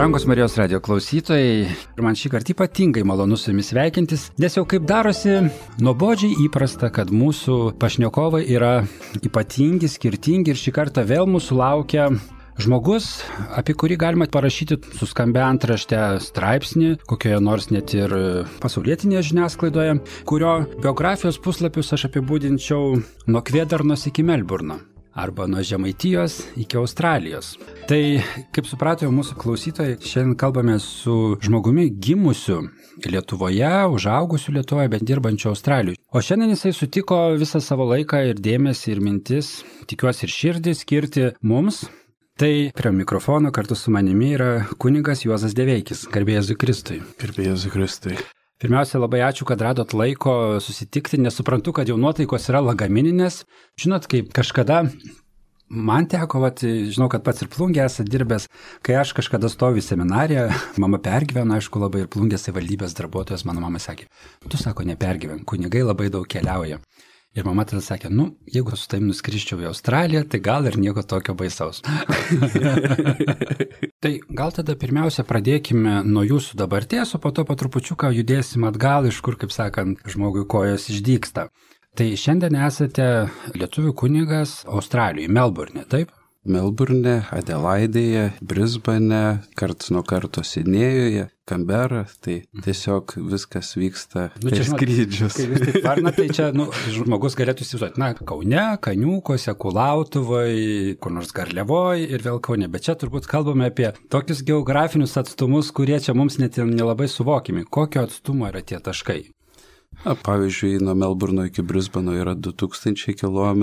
Brangus Marijos radio klausytojai, ir man šį kartą ypatingai malonu su jumis sveikintis, nes jau kaip darosi nuobodžiai įprasta, kad mūsų pašnekovai yra ypatingi, skirtingi ir šį kartą vėl mūsų laukia žmogus, apie kurį galima parašyti suskambę antraštę straipsnį, kokioje nors net ir pasaulietinėje žiniasklaidoje, kurio biografijos puslapius aš apibūdinčiau nuo Kvėdarnos iki Melburno. Arba nuo Žemaitijos iki Australijos. Tai, kaip suprato mūsų klausytojai, šiandien kalbame su žmogumi gimusiu Lietuvoje, užaugusiu Lietuvoje, bet dirbančiu Australijoje. O šiandien jisai sutiko visą savo laiką ir dėmesį ir mintis, tikiuosi ir širdį skirti mums. Tai prie mikrofono kartu su manimi yra kunigas Juozas Deveikis. Garbė Jėzui Kristui. Garbė Jėzui Kristui. Pirmiausia, labai ačiū, kad radot laiko susitikti, nes suprantu, kad jau nuotaikos yra lagamininės. Žinot, kaip kažkada man teko, žinau, kad pats ir Plungėje esate dirbęs, kai aš kažkada stoviu seminariją, mama pergyveno, aišku, labai ir Plungės savivaldybės darbuotojas, mano mama sakė, tu sako, nepergyven, kunigai labai daug keliauja. Ir mama tada sakė, jeigu su tavim nuskrisčiau į Australiją, tai gal ir nieko tokio baisaus. Tai gal tada pirmiausia pradėkime nuo jūsų dabarties, o po to po trupučiuką judėsim atgal, iš kur, kaip sakant, žmogui kojos išdygsta. Tai šiandien esate lietuvių kunigas Australijoje, Melburne, taip? Melburne, Adelaidėje, Brisbane, karts nuo karto Sidnėjuje, Kambera, tai tiesiog viskas vyksta per skrydžius. Kai vis taip varna, tai čia žmogus galėtų įsivaizduoti, Kaune, Kaniūkose, Kulautuvoj, kur nors Garliavoj ir vėl Kaune, bet čia turbūt kalbame apie tokius geografinius atstumus, kurie čia mums net nelabai suvokimi. Kokio atstumo yra tie taškai? Pavyzdžiui, nuo Melburno iki Brisbano yra 2000 km,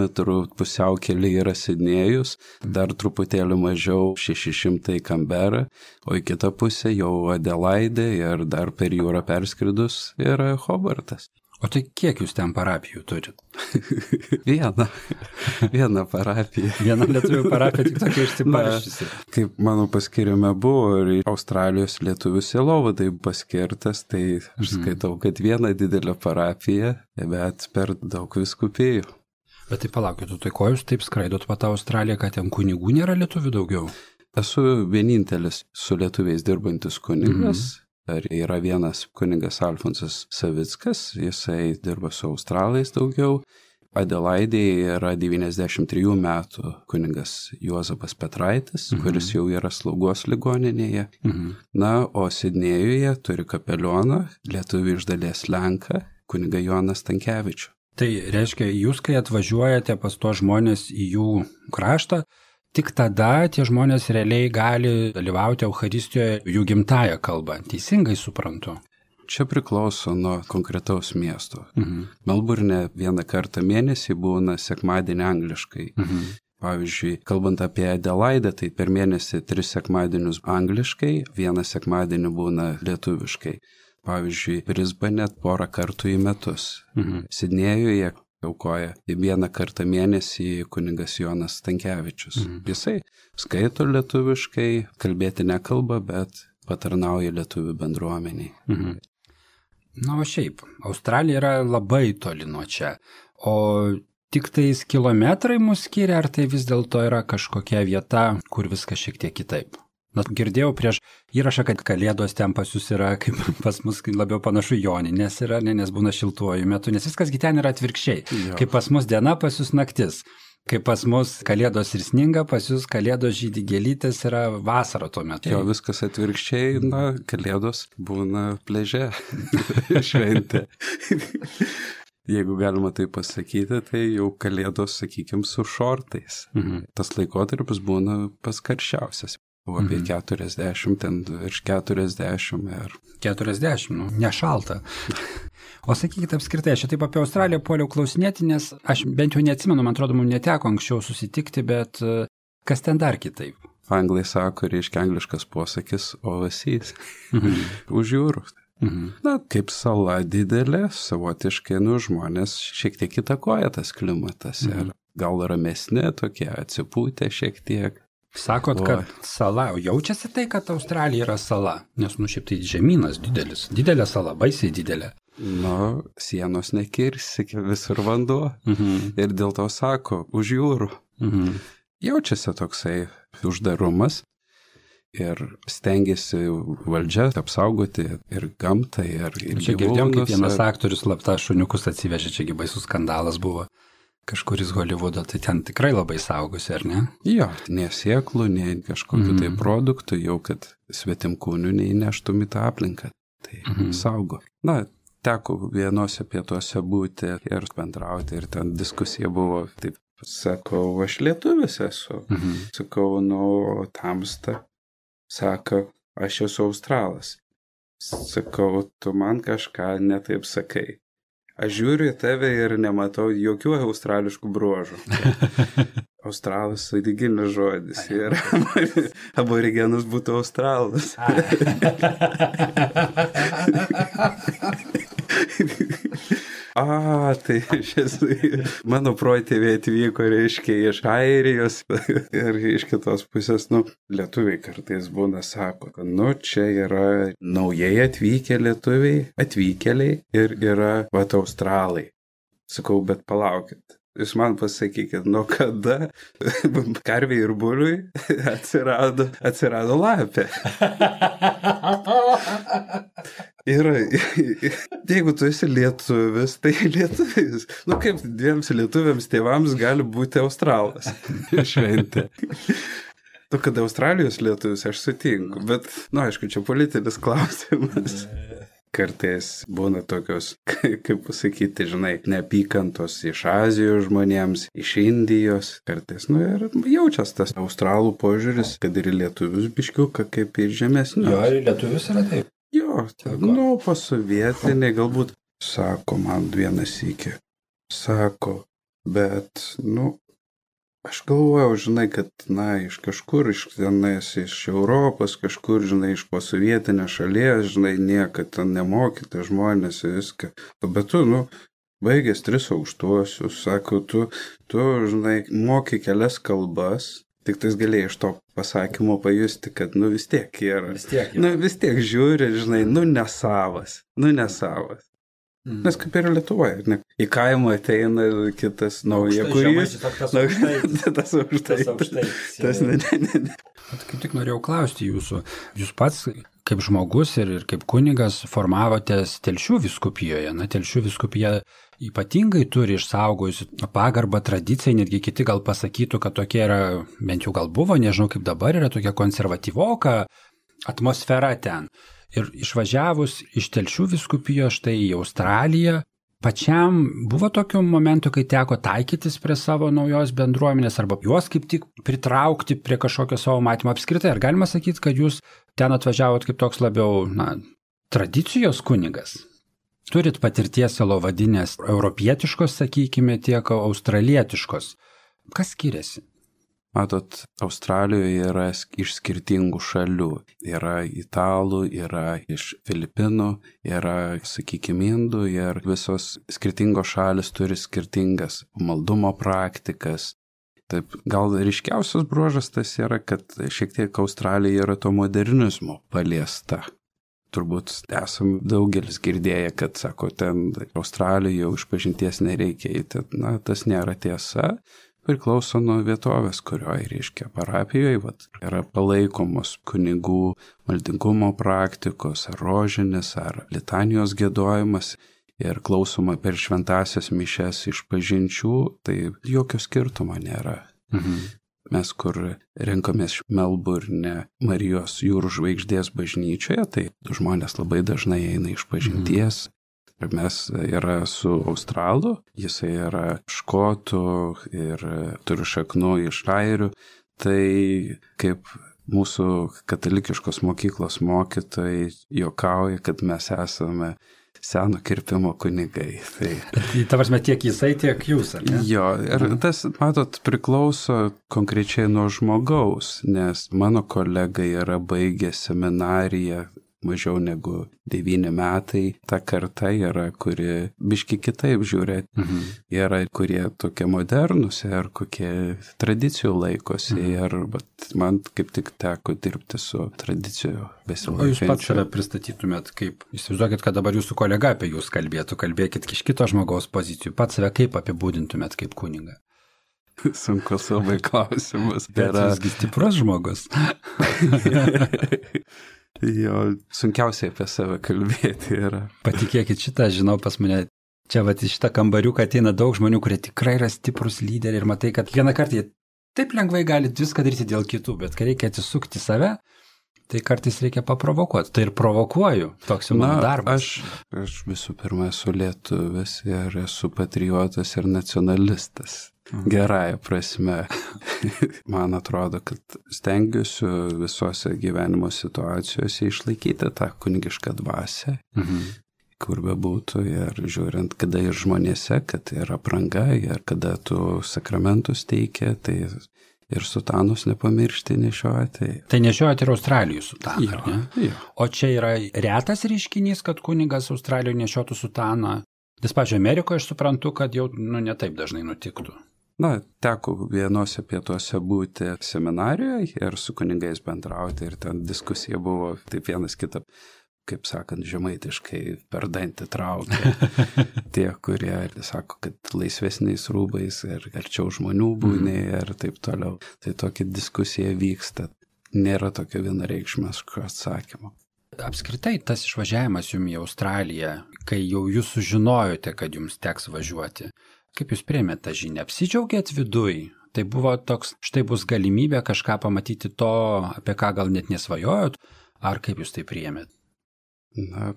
pusiaukelė yra Sidnėjus, dar truputėlį mažiau 600 Kambera, o į kitą pusę jau Adelaidė ir dar per jūrą perskridus yra Hobartas. O tai kiek jūs ten parapijų turit? Viena parapija. Viena lietuvių parapija, tik tokia išsibarščiusi. Kaip mano paskirime buvo ir Australijos lietuvių sielovadai paskirtas, tai aš skaitau, kad viena didelė parapija, bet per daug vyskupijų. Bet tai palaukit, tai ko jūs taip skraidot po tą Australiją, kad ten kunigų nėra lietuvių daugiau? Esu vienintelis su lietuviais dirbantis kunigas. Yra vienas kunigas Alfonsas Savickas, jisai dirba su australais daugiau. Adelaidėje yra 93 metų kunigas Juozapas Petraitis, kuris jau yra slaugos ligoninėje. Na, o Sidnėjuje turi kapelioną, lietuvių iš dalies lenką, kunigą Joną Stankevičių. Tai reiškia, jūs kai atvažiuojate pas tuos žmonės į jų kraštą, tik tada tie žmonės realiai gali dalyvauti Eucharistijoje jų gimtąją kalbą. Teisingai suprantu. Čia priklauso nuo konkretaus miesto. Melburne vieną kartą mėnesį būna sekmadienį angliškai. Pavyzdžiui, kalbant apie Adelaidę, tai per mėnesį 3 sekmadienius angliškai, 1 sekmadienį būna lietuviškai. Pavyzdžiui, Brisbane porą kartų į metus. Sidnėjuje aukoja 1 kartą mėnesį kunigas Jonas Stankevičius. Jisai skaito lietuviškai, kalbėti nekalba, bet patarnauja lietuvių bendruomeniai. Na, o šiaip, Australija yra labai toli nuo čia. O tik tais kilometrai mus skiria, ar tai vis dėlto yra kažkokia vieta, kur viskas šiek tiek kitaip? Na, girdėjau prieš įrašą, kad kalėdos ten pas jūs yra, kaip pas mus labiau panašu Joninės yra, nes būna šiltuoju metu, nes viskas ten yra atvirkščiai. Jo. Kaip pas mus diena, pas jūs naktis. Kaip pas mus kalėdos ir sninga, pas jūs kalėdos žydi gėlytės yra vasara tuo metu. Jo, viskas atvirkščiai, kalėdos būna pliaže šventė. Jeigu galima tai pasakyti, tai jau kalėdos, sakykime, su šortais. Tas laikotarpis būna pats karščiausias. Apie 40, ten virš 40 ir... 40, nešalta. O sakykit apskritai, aš taip apie Australiją puoliau klausinėti, nes aš bent jau neatsimenu, man atrodo, mums neteko anksčiau susitikti, bet kas ten dar kitaip? Anglai sako, reiškia angliškas posakis overseas, už jūrų. Na, kaip sala didelė, savotiškai, žmonės šiek tiek įtakoja tas klimatas ir gal ramesni, tokie atsipūtę šiek tiek. Sakot, kad sala, jaučiasi tai, kad Australija yra sala, nes šiaip tai žemynas didelis, didelė sala, baisiai didelė. Sienos nekirsi, visur vanduo ir dėl to sako, už jūrų. Jaučiasi toksai uždarumas. ir stengiasi valdžia apsaugoti ir gamtą, ir gyvūnus. Čia girdėjom, kaip vienas aktorius slapta šuniukus atsivežė, čiagi baisus skandalas buvo kažkuris Holivudo, tai ten tikrai labai saugosi, ar ne? Jo, nei sėklų, nei kažkokiu tai produktų, jau kad svetimkūnių neįneštum į tą aplinką. Tai saugo. Na, teko vienose pietuose būti ir bendrauti, ir ten diskusija buvo, taip sakau, aš lietuvis esu. Sakau, nu, tamsta. Sako, aš esu australas. Sakau, tu man kažką netaip sakai. Aš žiūriu į tave ir nematau jokių australiškų bruožų. Australas sąlyginis žodis ir aborigenas būtų australas. Tai mano protėviai atvyko, reiškia, iš Airijos ir iš kitos pusės, lietuviai kartais būna, sako, kad, čia yra naujai atvykę lietuviai, atvykėliai ir yra, australai. Sakau, bet palaukit. Jūs man pasakykit, nuo kada karviai ir buliui atsirado lapė. Ir jeigu tu esi lietuvis, tai lietuvis. Kaip dviems lietuviams tėvams gali būti australas. Šventė. Kad Australijos lietuvis aš sutinku, bet, aišku, čia politinis klausimas. Kartais būna tokios, kaip pasakyti, neapykantos iš Azijos žmonėms, iš Indijos. Kartais, ir jaučias tas australų požiūris, kad ir lietuvius biškiuką, kaip ir žemesnius. Jo, ir lietuvius yra taip. Jo, pasovietiniai galbūt, sako man vienas sykį. Sako, bet, aš galvojau, kad, iš kažkur, iš Europos, kažkur, iš posovietinės šalies, niekad ten nemokyti žmonės viską. Bet tu, baigęs 3 aukštuosius, sako, tu, moki kelias kalbas, tik tais galėjai iš to pasakymo pajusti, kad, vis tiek yra. Vis tiek žiūri, nesavas. Nes kaip ir Lietuvoje, į kaimą ateina kitas nauja kurys. Tas aukštai. Kaip tik norėjau klausti jūsų. Jūs pats kaip žmogus ir kaip kunigas formavotės Telšių vyskupijoje. Telšių vyskupija ypatingai turi išsaugojusi pagarbą tradicijai, netgi kiti gal pasakytų, kad tokia yra, bent jau gal buvo, nežinau kaip dabar, yra tokia konservatyvoka atmosfera ten. Ir išvažiavus iš Telšių vyskupijos štai į Australiją, pačiam buvo tokių momentų, kai teko taikytis prie savo naujos bendruomenės arba juos kaip tik pritraukti prie kažkokio savo matymo apskritai. Ar galima sakyti, kad jūs ten atvažiavot kaip toks labiau, tradicijos kunigas? Turit patirties sielovadinės europietiškos, sakykime, tiek australietiškos. Kas skiriasi? Matot, Australijoje yra iš skirtingų šalių. Yra italų, yra iš Filipinų, yra, sakykime, indų ir visos skirtingos šalis turi skirtingas maldumo praktikas. Taip, gal ryškiausias bruožas tas yra, kad šiek tiek Australija yra to modernizmo paliesta. Turbūt esam daugelis girdėję, kad, sako, ten Australijoje jau išpažinties nereikia eiti. Tas nėra tiesa. Priklauso nuo vietovės, kurioje, reiškia, parapijoje yra palaikomos kunigų maldingumo praktikos, ar rožinis, ar litanijos giedojimas ir klausoma per šventąsias mišias išpažinčių, tai jokio skirtumo nėra. Mes, kur renkamės Melburne Marijos jūrų žvaigždės bažnyčioje, tai žmonės labai dažnai eina išpažinties. Mes yra su australu, jisai yra škotų ir turi šaknų iš airių, tai kaip mūsų katalikiškos mokyklos mokytojai juokauja, kad mes esame seno kirpimo kunigai. Tai ta prasme, tiek jisai, tiek jūs, ar ne? Jo, ir tas, matot, priklauso konkrečiai nuo žmogaus, nes mano kolega yra baigęs seminariją mažiau negu 9 metai. Ta karta yra, kuri biški kitaip žiūri. Yra, kurie tokie modernus ir kokie tradicijų laikosi. Ir man kaip tik teko dirbti su tradicijų besilaikančiu. O jūs pats save pristatytumėt kaip, įsivaizduokit, kad dabar jūsų kolega apie jūs kalbėtų, kalbėkit iš kito žmogaus pozicijų. Pats save kaip apibūdintumėt kaip kunigą? Sunkus labai klausimas. Bet visgi stiprus žmogus. Jo, sunkiausiai apie save kalbėti yra. Patikėkit, šitą žinau pas mane. Čia vat į šitą kambariuką ateina daug žmonių, kurie tikrai yra stiprus lyderiai ir matai, kad vieną kartą jie taip lengvai gali viską daryti dėl kitų, bet kai reikia atsisukti save, tai kartais reikia paprovokuoti. Tai ir provokuoju, toks jau mano darbas. Aš visų pirma esu lietuvis ir esu patriotas ir nacionalistas. Gerąją prasme. Man atrodo, kad stengiuosi visose gyvenimo situacijose išlaikyti tą kunigišką dvasią, kur bebūtų, ir žiūrint, kada ir žmonėse, kad yra apranga, ir kada tu sakramentus teikia, tai ir sutanus nepamiršti nešioti. Tai nešiojate ir Australijų sutaną, ne? Jo. O čia yra retas reiškinys, kad kunigas Australijoje nešiotų sutaną. Nes pačio Amerikoje aš suprantu, kad jau ne taip dažnai nutiktų. Na, teko vienose pietuose būti seminarijoje ir su kunigais bendrauti, ir ten diskusija buvo taip vienas kitą, kaip sakant, žemaitiškai per dantį traukia. Tie, kurie sako, kad laisvesniais rūbais ir arčiau žmonių būni ir taip toliau. Tai tokia diskusija vyksta. Nėra tokio vienareikšmiško atsakymo. Apskritai, tas išvažiavimas jums į Australiją, kai jau jūs sužinojote, kad jums teks važiuoti, kaip jūs priėmėte tą žinią? Apsidžiaugėt viduj? Tai buvo toks, štai bus galimybė kažką pamatyti to, apie ką gal net nesvajojot, ar kaip jūs tai priėmėt? Na,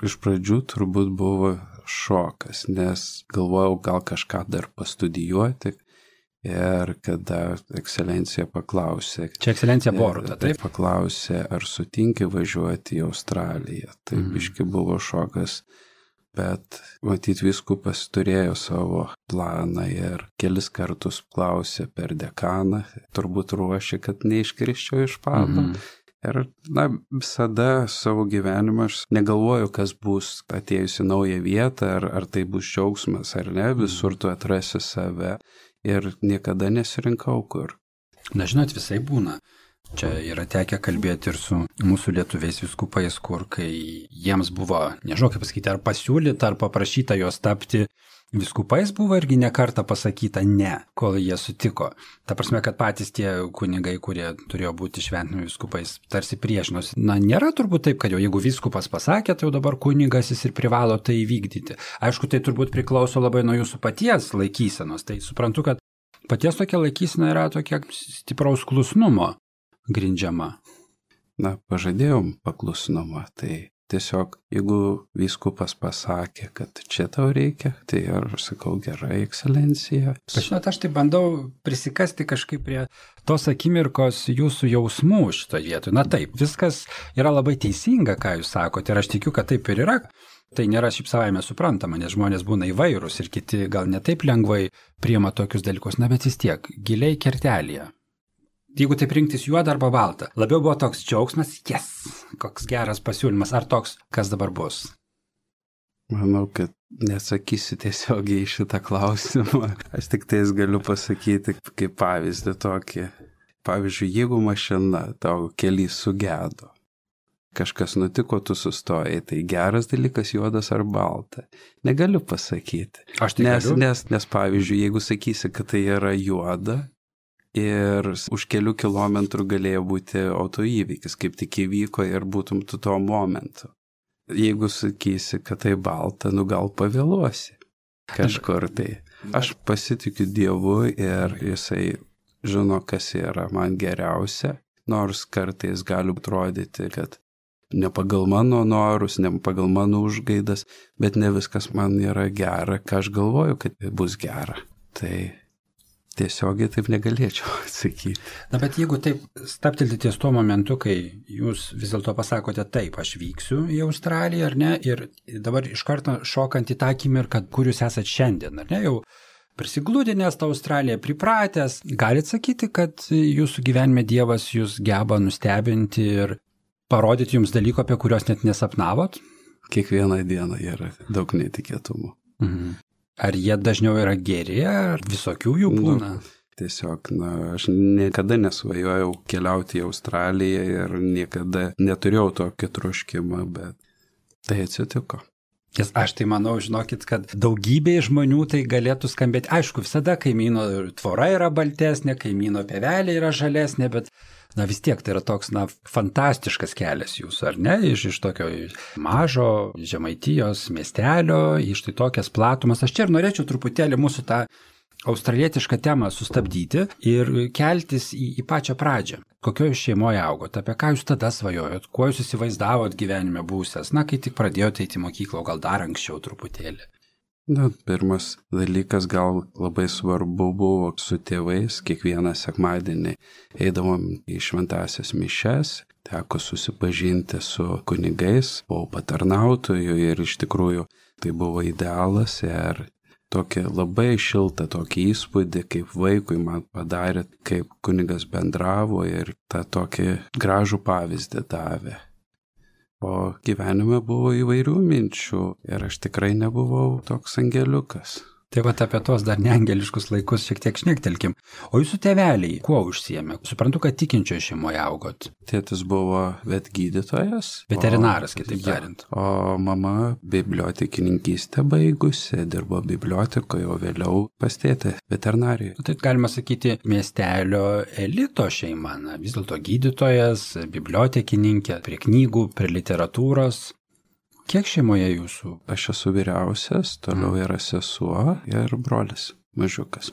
iš pradžių turbūt buvo šokas, nes galvojau gal kažką dar pastudijuoti, ir kada ekscelencija paklausė. Čia ekscelencija Boruta, taip? Paklausė, ar sutinki važiuoti į Australiją. Tai biški buvo šokas, bet matyt vyskupas turėjo savo planą ir kelis kartus klausė per dekaną, turbūt ruošė, kad neiškrisčiau iš pado. Ir, na, visada savo gyvenimą aš negalvoju, kas bus atėjus į naują vietą, ar tai bus džiaugsmas, ar ne, visur tu atrasi save, ir niekada nesirinkau kur. Na, žinot, visai būna. Čia yra tekę kalbėti ir su mūsų lietuviais vyskupais, kur kai jiems buvo, nežinau kaip pasakyti, ar pasiūlyta, ar paprašyta jos tapti vyskupais, buvo irgi ne kartą pasakyta ne, kol jie sutiko. Ta prasme, kad patys tie kunigai, kurie turėjo būti šventinių vyskupais, tarsi priešinosi. Na, nėra turbūt taip, kad jau jeigu vyskupas pasakė, tai jau dabar kunigas jis ir privalo tai įvykdyti. Aišku, tai turbūt priklauso labai nuo jūsų paties laikysenos. Tai suprantu, kad paties tokia laikysena yra tokia stipraus klusnumo grindžiama. Na, pažadėjom paklusnumą, tai tiesiog, jeigu vyskupas pasakė, kad čia tau reikia, tai aš sakau, gerai, ekscelencija. Žinot, aš tai bandau prisikasti kažkaip prie tos akimirkos jūsų jausmų šitoje vietoje. Na taip, viskas yra labai teisinga, ką jūs sakote, ir aš tikiu, kad taip ir yra. Tai nėra šiaip savaime suprantama, nes žmonės būna įvairūs ir kiti gal ne taip lengvai priima tokius dalykus, na bet vis tiek, giliai kertelėje. Jeigu taip rinktis juodą arba baltą, labiau buvo toks džiaugsmas, yes, koks geras pasiūlymas, ar toks, kas dabar bus? Manau, kad nesakysiu tiesiogiai į šitą klausimą. Aš tik tais galiu pasakyti kaip pavyzdį tokį. Pavyzdžiui, jeigu mašina tau kely sugedo, kažkas nutiko, tu sustojai, tai geras dalykas juodas ar balta. Negaliu pasakyti. Aš tai galiu. Nes pavyzdžiui, jeigu sakysi, kad tai yra juoda, ir už kelių kilometrų galėjo būti autoįvykis, kaip tik įvyko ir būtum tu tuo momentu. Jeigu sakysi, kad tai balta, nu gal pavėluosi kažkur tai. Aš pasitikiu Dievu ir jisai žino, kas yra man geriausia, nors kartais gali atrodyti, kad ne pagal mano norus, ne pagal mano užgaidas, bet ne viskas man yra gera, ką aš galvoju, kad bus gera. Tai tiesiogiai taip negalėčiau atsakyti. Na, bet jeigu taip staptelti ties tuo momentu, kai jūs vis dėlto pasakote taip, aš vyksiu į Australiją, ar ne, ir dabar iš karto šokant į tą akimirką, kur jūs esat šiandien, ar ne, jau prisiglūdinęs tą Australiją, pripratęs, galite sakyti, kad jūsų gyvenime Dievas jūs geba nustebinti ir parodyti jums dalyko, apie kuriuos net nesapnavot? Kiekvieną dieną yra daug netikėtumų. Ar jie dažniau yra geri, ar visokių jų būna? Tiesiog, aš niekada nesvajojau keliauti į Australiją ir niekada neturėjau tokio troškimo, bet tai atsitiko. Nes aš tai manau, žinokit, kad daugybė žmonių tai galėtų skambėti. Aišku, visada kaimyno tvora yra baltesnė, kaimyno pievelė yra žalesnė, bet vis tiek tai yra toks, fantastiškas kelias jūsų, ar ne? Iš tokio mažo Žemaitijos miestelio, iš tai tokias platumas. Aš čia ir norėčiau truputėlį mūsų tą australietišką temą sustabdyti ir keltis į pačią pradžią. Kokioje šeimoje augot, apie ką jūs tada svajojot, kuo jūs įsivaizdavot gyvenime būsęs, kai tik pradėjote eiti į mokyklą, o gal dar anksčiau truputėlį? Pirmas dalykas gal labai svarbu buvo su tėvais, kiekvieną sekmadienį eidavom į šventąsias mišias, teko susipažinti su kunigais, buvau patarnautoju ir iš tikrųjų tai buvo idealas ir tokį labai šiltą tokį įspūdį, kaip vaikui man padarė, kaip kunigas bendravo ir tą tokį gražų pavyzdį davė. O gyvenime buvo įvairių minčių ir aš tikrai nebuvau toks angeliukas. Tai apie tos dar neangeliškus laikus šiek tiek šnektelkim. O jūsų tėveliai kuo užsiėmė? Suprantu, kad tikinčioje šeimoje augot. Tėtis buvo vetgydytojas. Veterinaras, kitaip tariant. O mama bibliotekininkystę baigusi, dirbo bibliotekoje, o vėliau pas tėtį veterinarijoje. Tai galima sakyti miestelio elito šeima. Vis dėlto gydytojas, bibliotekininkė, prie knygų, prie literatūros. Kiek šeimoje jūsų? Aš esu vyriausias, toliau yra sesuo ir brolis, mažiukas.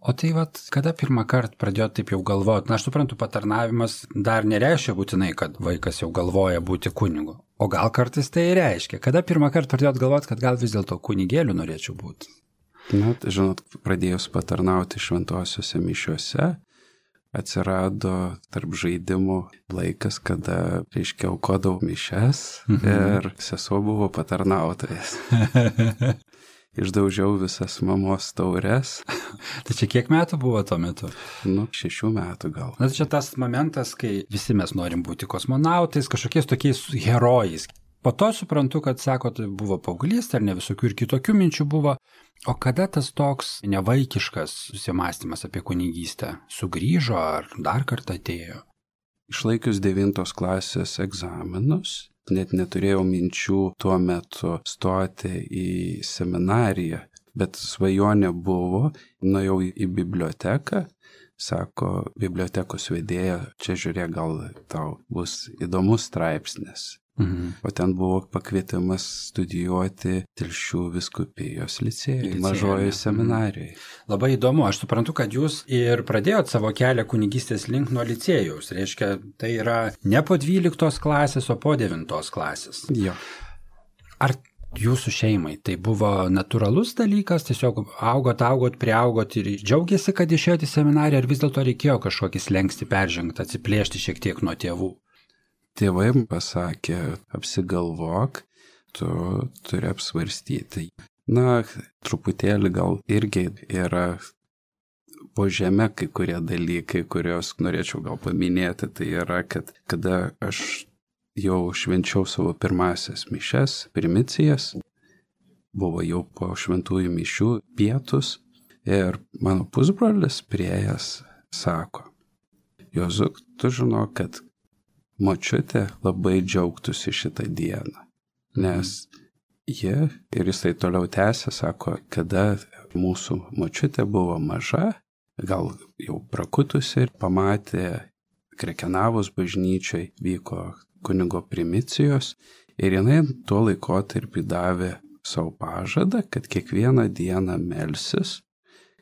O tai kada pirmą kartą pradėjote taip jau galvoti? Aš suprantu, patarnavimas dar nereiškia būtinai, kad vaikas jau galvoja būti kunigu. O gal kartais tai reiškia? Kada pirmą kartą pradėjot galvoti, kad gal vis dėlto kunigėliu norėčiau būti? Žinot, pradėjus patarnauti šventosiuose mišiuose, atsirado tarp žaidimų laikas, kada, aukodavau mišias ir sesuo buvo patarnautojas. Išdaužiau visas mamos taures. Tai čia kiek metų buvo tuo metu? 6 metų gal. Čia tas momentas, kai visi mes norim būti kosmonautais, kažkokiais tokiais herojais. Po to suprantu, kad, sakot, buvo paauglys, ar ne visokių ir kitokių minčių buvo. O kada tas toks nevaikiškas susimąstymas apie kunigystę sugrįžo ar dar kartą atėjo? Išlaikius 9 klasės egzaminus, net neturėjau minčių tuo metu stoti į seminariją, bet svajonė buvo, nuėjau į biblioteką, sako bibliotekos vedėja, čia žiūrėk, gal tau bus įdomus straipsnis. O ten buvo pakvietimas studijuoti Telšių vyskupijos licėjuje, mažojoje seminarijoje. Labai įdomu, aš suprantu, kad jūs ir pradėjot savo kelią kunigystės link nuo licėjaus. Reiškia, tai yra ne po 12 klasės, o po 9 klasės. Jo. Ar jūsų šeimai tai buvo natūralus dalykas, tiesiog augot, priaugot ir džiaugiasi, kad išėjote į seminariją, ar vis dėlto reikėjo kažkokį slenkstį peržengti, atsiplėšti šiek tiek nuo tėvų? Tėvai pasakė, apsigalvok, tu turi apsvarstyti. Truputėlį gal irgi yra po žeme kai kurie dalykai, kuriuos norėčiau gal paminėti. Tai yra, kad kada aš jau švenčiau savo pirmasias mišias, primicijas, buvo jau po šventųjų mišių pietus ir mano pusbrolis priėjęs sako, Jozuk, tu žinok, kad močiutė labai džiaugtųsi šitą dieną, nes jie, ir jisai toliau tęsė, sako, kada mūsų močiutė buvo maža, gal jau prakutusi ir pamatė Krekenavos bažnyčiai vyko kunigo primicijos ir jinai tuo laikotarpį davė savo pažadą, kad kiekvieną dieną melsis,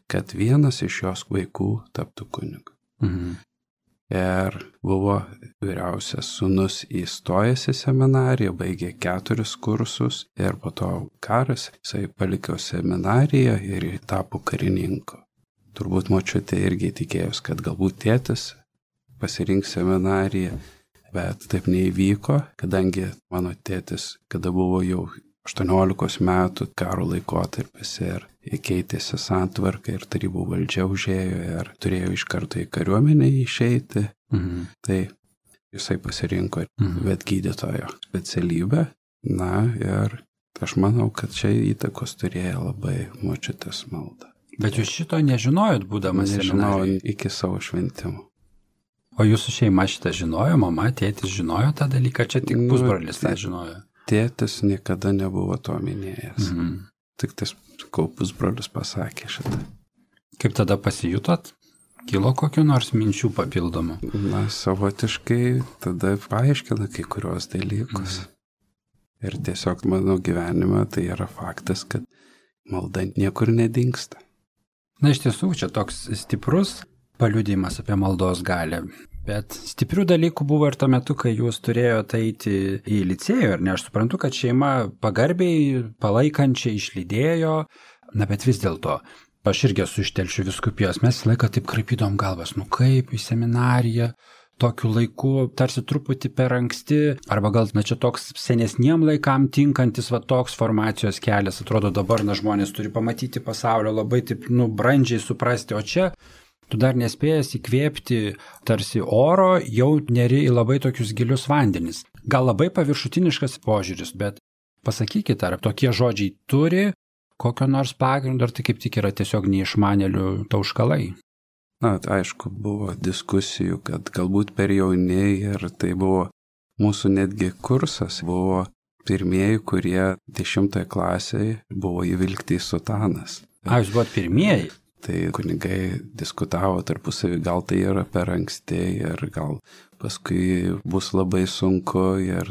kad vienas iš jos vaikų taptų kunigu. Ir buvo vyriausias sūnus įstojęs į seminariją, baigė 4 kursus ir po to karas, jisai paliko seminariją ir tapo karininku. Turbūt močiutė irgi tikėjos, kad galbūt tėtis pasirinks seminariją, bet taip neįvyko, kadangi mano tėtis, kada buvo jau 18 metų karo laikotarpis ir keitėsi santvarka ir tarybų valdžia užėjo ir turėjo iš karto į kariuomenę išeiti. Tai jisai pasirinko vetgydytojo specialybę. Ir aš manau, kad čia įtakos turėjo labai močiutės malda. Bet jūs šito nežinojot, būdamas seminarijoje? Nežinojau iki savo šventimų. O jūsų šeima šitą žinojo, mama, tėtis žinojo tą dalyką, čia tik pusbrolis tą žinojo? Tėtis niekada nebuvo to minėjęs. Tik tas pusbrolis pasakė šitą. Kaip tada pasijutot? Kilo kokiu nors minčių papildomų? Na, savotiškai tada paaiškina kai kurios dalykus. Ir tiesiog mano gyvenime tai yra faktas, kad malda niekur nedingsta. Na, iš tiesų, čia toks stiprus paliudijimas apie maldos galią. Bet stiprių dalykų buvo ir tuo metu, kai jūs turėjote eiti į licėjų, ir ne, aš suprantu, kad šeima pagarbiai, palaikančiai išlydėjo, na, bet vis dėlto, aš irgi esu iš Telšių vyskupijos, mes laiką taip kraipydom galvas, nu kaip į seminariją, tokiu laiku, tarsi truputį per anksti, arba gal, na, čia toks senesniem laikam tinkantis, va, toks formacijos kelias, atrodo dabar, na, žmonės turi pamatyti pasaulio, labai taip, nu, brandžiai suprasti, o čia tu dar nespėjęs įkvėpti tarsi oro, jau neri į labai tokius gilius vandenis. Gal labai paviršutiniškas požiūris, bet pasakykit, ar tokie žodžiai turi kokio nors pagrindo, ar tai kaip tik yra tiesiog neišmanėlių tauškalai? Na, aišku, buvo diskusijų, kad galbūt per jauni ir tai buvo mūsų netgi kursas, buvo pirmieji, kurie 10 klasėje buvo įvilkti į sutanas. Jūs buvot pirmieji? Tai kunigai diskutavo tarpusavį, gal tai yra per anksti ir gal paskui bus labai sunku.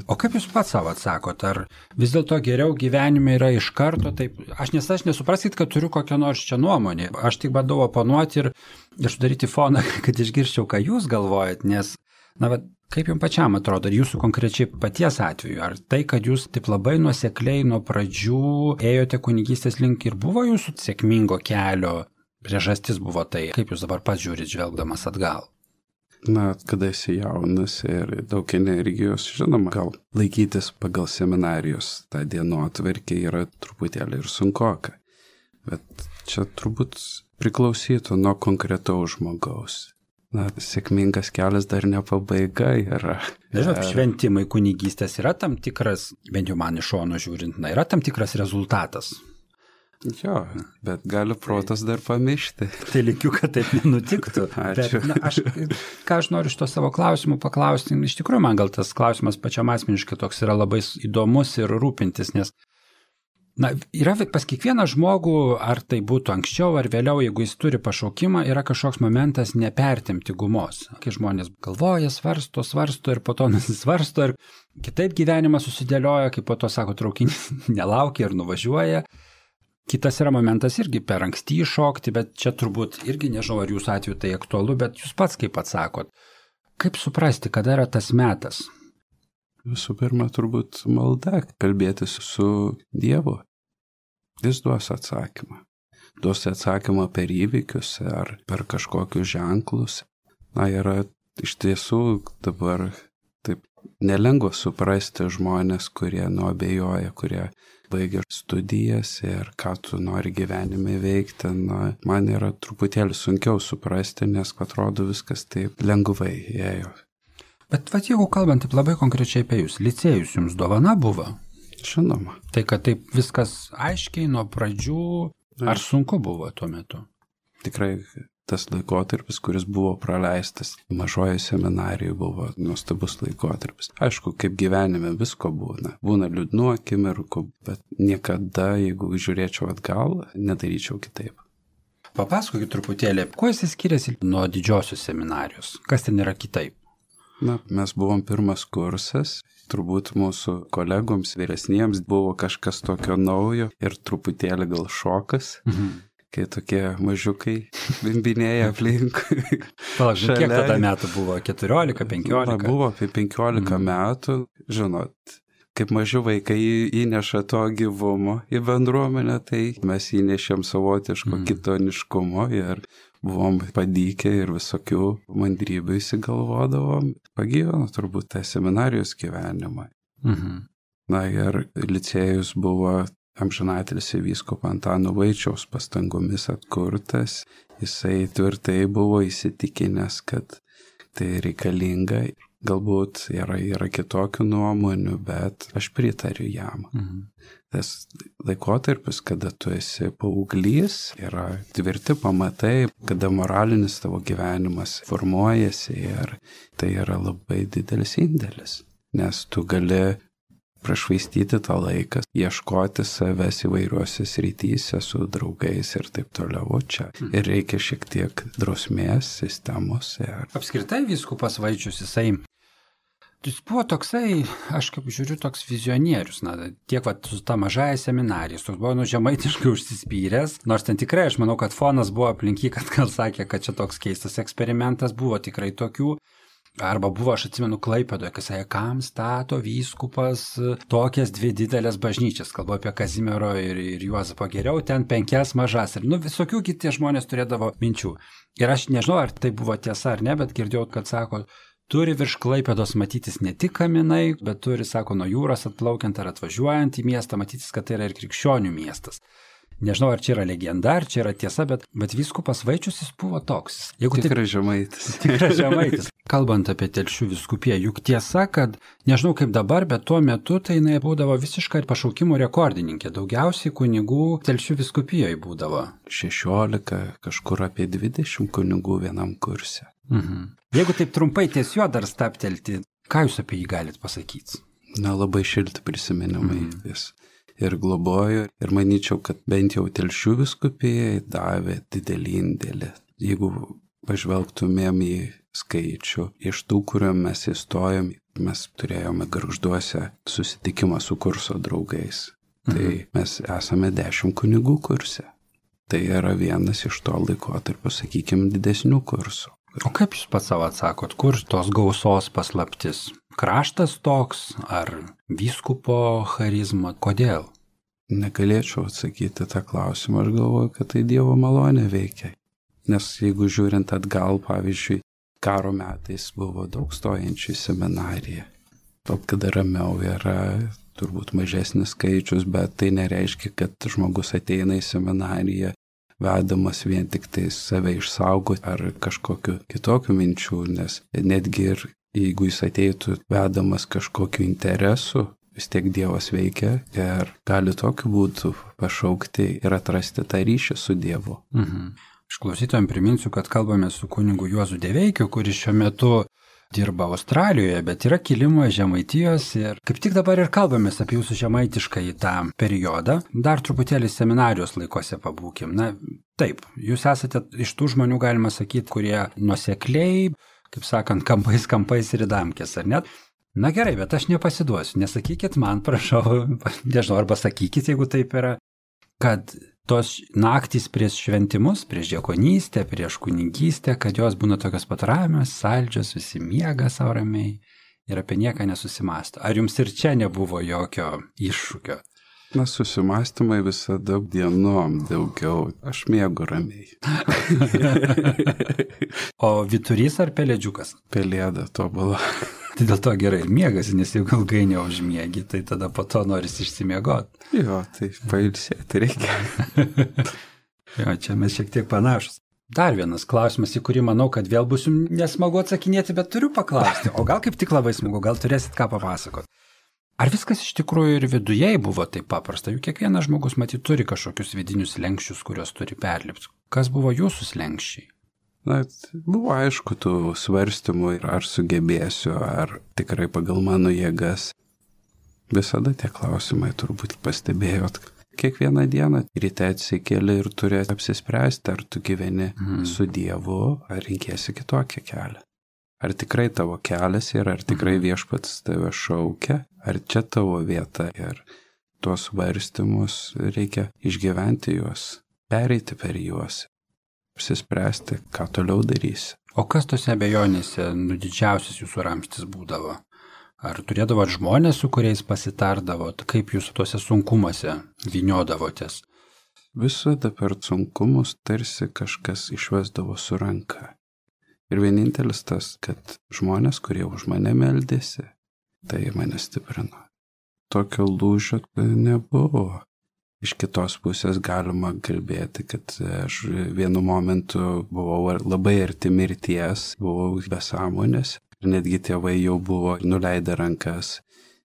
O kaip jūs pats savo atsakot, ar vis dėlto geriau gyvenime yra iš karto taip? Aš nesupraskit, kad turiu kokią nors čia nuomonę. Aš tik bandau oponuoti ir sudaryti foną, kad išgirščiau, ką jūs galvojat, nes, na, bet kaip jums pačiam atrodo, ir jūsų konkrečiai paties atveju, ar tai, kad jūs taip labai nuosekliai nuo pradžių ėjote kunigystės link ir buvo jūsų sėkmingo kelio priežastis buvo tai, kaip jūs dabar pats žiūrit žvelgdamas atgal? Na, kada esi jaunas ir daug energijos, žinoma, gal laikytis pagal seminarijos tą dienotvarkę yra truputėlį ir sunkoka. Bet čia turbūt priklausytų nuo konkretaus žmogaus. Na, sėkmingas kelias dar ne pabaiga yra. Nežinau, šventimai kunigystės yra tam tikras, bent jau man iš šono žiūrint, na, yra tam tikras rezultatas. Jo, bet gali protas dar pamiršti. Tai likiu, kad taip nenutiktų. Ačiū. Bet, na, ką aš noriu iš to savo klausimų paklausti, iš tikrųjų man gal tas klausimas pačiam asmeniškai toks yra labai įdomus ir rūpintis, nes, na, yra pas kiekvieną žmogų, ar tai būtų anksčiau ar vėliau, jeigu jis turi pašaukimą, yra kažkoks momentas nepertempti gumos. Kai žmonės galvoja, svarsto ir po to nusisvarsto ir kitaip gyvenimas susidėlioja, kaip po to sako, traukinys nelaukia ir nuvažiuoja. Kitas yra momentas irgi per anksti iššokti, bet čia turbūt irgi nežinau, ar jūsų atveju tai aktualu, bet jūs pats kaip atsakot. Kaip suprasti, kada yra tas metas? Visų pirma, turbūt malda, kalbėtis su Dievu. Jis duos atsakymą. Duos atsakymą per įvykius ar per kažkokius ženklus. Na, yra iš tiesų dabar taip nelengva suprasti žmonės, kurie nuabejoja, kurie baigia studijas ir ką tu nori gyvenime veikti. Na, man yra truputėlį sunkiau suprasti, nes atrodo viskas taip lengvai ėjo. Bet jeigu kalbant taip labai konkrečiai apie jūs, licėjus jums dovana buvo? Žinoma. Tai kad taip viskas aiškiai nuo pradžių, ar sunku buvo tuo metu? Tikrai tas laikotarpis, kuris buvo praleistas mažoje seminarijoje, buvo nuostabus laikotarpis. Aišku, kaip gyvenime visko būna. Būna liūdnų akimirkų, bet niekada, jeigu žiūrėčiau atgal, nedaryčiau kitaip. Papasakokit truputėlį, kuo jis skiriasi nuo didžiosios seminarijos? Kas ten yra kitaip? Na, mes buvom pirmas kursas. Turbūt mūsų kolegoms vyresniems buvo kažkas tokio naujo ir truputėlį gal šokas. Kai tokie mažiukai bimbinėja aplink. Palauk, kiek tada metų buvo? 14, 15? Na, buvo apie 15 metų. Žinot, kaip maži vaikai įneša to gyvumo į bendruomenę, tai mes įnešėm savotiško kitoniškumo ir buvom padykę ir visokių mandrybių įsigalvodavom. Pagyveno turbūt tą seminarijos gyvenimą. Na ir licėjus buvo amžinatilsį vyskupo Antano Vaičiaus pastangomis atkurtas. Jisai tvirtai buvo įsitikinęs, kad tai reikalinga. Galbūt yra kitokių nuomonių, bet aš pritariu jam. Tas laikotarpis, kada tu esi paauglys, yra tvirti pamatai, kada moralinis tavo gyvenimas formuojasi ir tai yra labai didelis indėlis. Nes tu gali prašvaistyti tą laiką, ieškoti savęs įvairiuose srityse su draugais ir taip toliau čia. Ir reikia šiek tiek drausmės, sistemos. Apskritai vyskupas Vaičius, jis buvo toksai, aš kaip žiūriu, toks vizionierius, tiek su ta mažaja seminarija, toks buvo žemaitiškai užsispyręs, nors ten tikrai aš manau, kad fonas buvo aplinky, kad gal sakė, kad čia toks keistas eksperimentas, buvo tikrai tokių. Arba buvo, aš atsimenu, Klaipėdoje, kas sakė, kam stato vyskupas tokias 2 didelės bažnyčias, kalbu apie Kazimiero ir Juozapą, geriau ten 5 mažas. Ir visokių kiti žmonės turėdavo minčių. Ir aš nežinau, ar tai buvo tiesa ar ne, bet girdėjau, kad sako, turi virš Klaipėdos matytis ne tik kaminai, bet turi, sako, nuo jūros atplaukiant ar atvažiuojant į miestą, matytis, kad tai yra ir krikščionių miestas. Nežinau, ar čia yra legenda, ar čia yra tiesa, bet vyskupas Vaičius jis buvo toks. Tikrai žemaitis. Tikrai žemaitis. Kalbant apie Telšių vyskupiją, juk tiesa, kad nežinau kaip dabar, bet tuo metu tai jinai būdavo visiškai pašaukimų rekordininkė. Daugiausiai kunigų Telšių vyskupijoje būdavo. 16, kažkur apie 20 kunigų vienam kurse. Jeigu taip trumpai ties juo dar staptelti, ką jūs apie jį galite pasakyti? Labai šilti prisiminimai vis. Ir globojo, ir manyčiau, kad bent jau Telšių vyskupijai davė didelį indėlį. Jeigu pažvelgtumėm į skaičių, iš tų, kuriuo mes įstojom, mes turėjome Gargžduose susitikimą su kurso draugais. Tai mes esame 10 kunigų kurse. Tai yra vienas iš to laikotarpio, sakykime, didesnių kursų. O kaip jūs pats savo atsakot, kur tos gausos paslaptis? Kraštas toks ar vyskupo charizma? Kodėl? Negalėčiau atsakyti tą klausimą, aš galvoju, kad tai Dievo malonė veikia. Nes jeigu žiūrint atgal, pavyzdžiui, karo metais buvo daug stojančių į seminariją. Top, kada ramiau yra turbūt mažesnis skaičius, bet tai nereiškia, kad žmogus ateina į seminariją vedamas vien tik tai save išsaugoti ar kažkokiu kitokiu minčių, nes netgi ir jeigu jis ateitų vedamas kažkokiu interesu, vis tiek Dievas veikia ir gali tokiu būdu pašaukti ir atrasti tą ryšį su Dievu. Aš klausytojams priminsiu, kad kalbame su kunigu Juozu Deveikiu, kuris šiuo metu dirba Australijoje, bet yra kilimo Žemaitijos ir kaip tik dabar ir kalbamės apie jūsų žemaitišką į tą periodą. Dar truputėlį seminarijos laikose pabūkim. Taip, jūs esate iš tų žmonių, galima sakyti, kurie nuosekliai, kaip sakant, kampais ir įdamkės, ar net? Na gerai, bet aš nepasiduosiu. Nesakykit man, prašau, nežinau, arba sakykit, jeigu taip yra, kad tos naktys prieš šventimus, prieš diakonystę, prieš kunigystę, kad jos būna tokios pat ramios, saldžios, visi miega savo ramiai ir apie nieką nesusimąsto. Ar jums ir čia nebuvo jokio iššūkio? Susimąstymai visada dienom daugiau. Aš miegu ramiai. O vyturys ar pelėdžiukas? Pelėda tobula. Tai dėl to gerai miegasi, nes jeigu ilgai neužmiegi, tai tada po to norisi išsimiegoti. Jo, tai pailsėti reikia. Jo, čia mes šiek tiek panašus. Dar vienas klausimas, į kurį manau, kad vėl bus jums nesmagu atsakinėti, bet turiu paklausti. O gal kaip tik labai smagu, gal turėsit ką papasakoti. Ar viskas iš tikrųjų ir viduje buvo taip paprasta? Juk kiekvienas žmogus matyt turi kažkokius vidinius slenkščius, kuriuos turi perlipti. Kas buvo jūsų slenkščiai? Buvo aišku tų svarstymų, ar sugebėsiu, ar tikrai pagal mano jėgas. Visada tie klausimai turbūt pastebėjot. Kiekvieną dieną ryte atsikeli ir turi apsispręsti, ar tu gyveni su Dievu, ar rinkėsi kitokią kelią. Ar tikrai tavo kelias yra, ar tikrai Viešpats tave šaukia, ar čia tavo vieta. Ir tuos svarstymus reikia išgyventi juos, pereiti per juos. Apsispręsti, ką toliau darysi. O kas tose abejonėse didžiausias jūsų ramstis būdavo? Ar turėdavot žmonės, su kuriais pasitardavot? Kaip jūs tuose sunkumuose vyniodavotės? Visada per sunkumus tarsi kažkas išvesdavo su ranka. Ir vienintelis tas, kad žmonės, kurie už mane meldėsi, tai mane stiprino. Tokio lūžio nebuvo. Iš kitos pusės galima kalbėti, kad aš vienu momentu buvau labai arti mirties, buvau be sąmonės. Ir netgi tėvai jau buvo nuleidę rankas